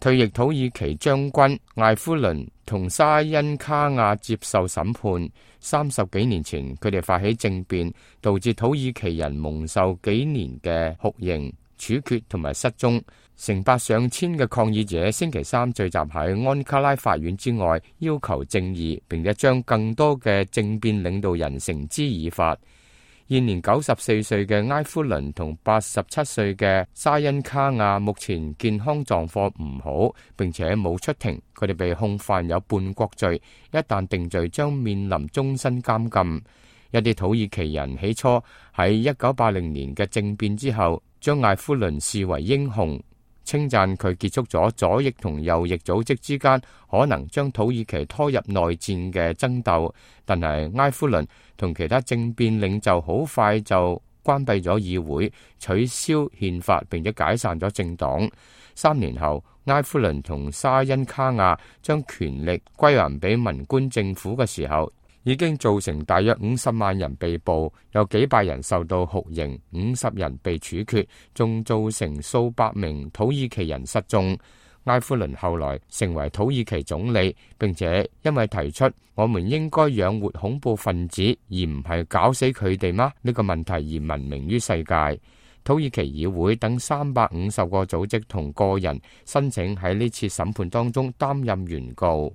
退役土耳其將軍艾夫倫同沙因卡亞接受審判。30幾年前，佢哋發起政變，導致土耳其人蒙受幾年嘅酷刑、處決同埋失蹤。成百上千嘅抗議者星期三聚集喺安卡拉法院之外，要求正義，並且將更多嘅政變領導人繩之以法。現年94歲嘅埃夫倫同87歲嘅沙因卡亞目前健康狀況唔好，並且冇出庭。佢哋被控犯有叛國罪，一旦定罪將面臨終身監禁。一啲土耳其人起初喺1980年嘅政變之後，將艾夫倫視為英雄，稱讚佢結束咗左翼同右翼組織之間可能將土耳其拖入內戰嘅爭鬥。但係埃夫倫同其他政變領袖好快就關閉咗議會，取消憲法，並且解散咗政黨。3年後，埃夫倫同沙因卡亞將權力歸還俾文官政府嘅時候，已經造成大約50萬人被捕，有幾百人受到酷刑，50人被處決，仲造成數百名土耳其人失蹤。埃夫倫後來成為土耳其總理，並且因為提出我們應該養活恐怖分子而唔係搞死佢哋嗎呢個問題而聞名於世界。土耳其議會等350個組織同個人申請喺呢次審判當中擔任原告。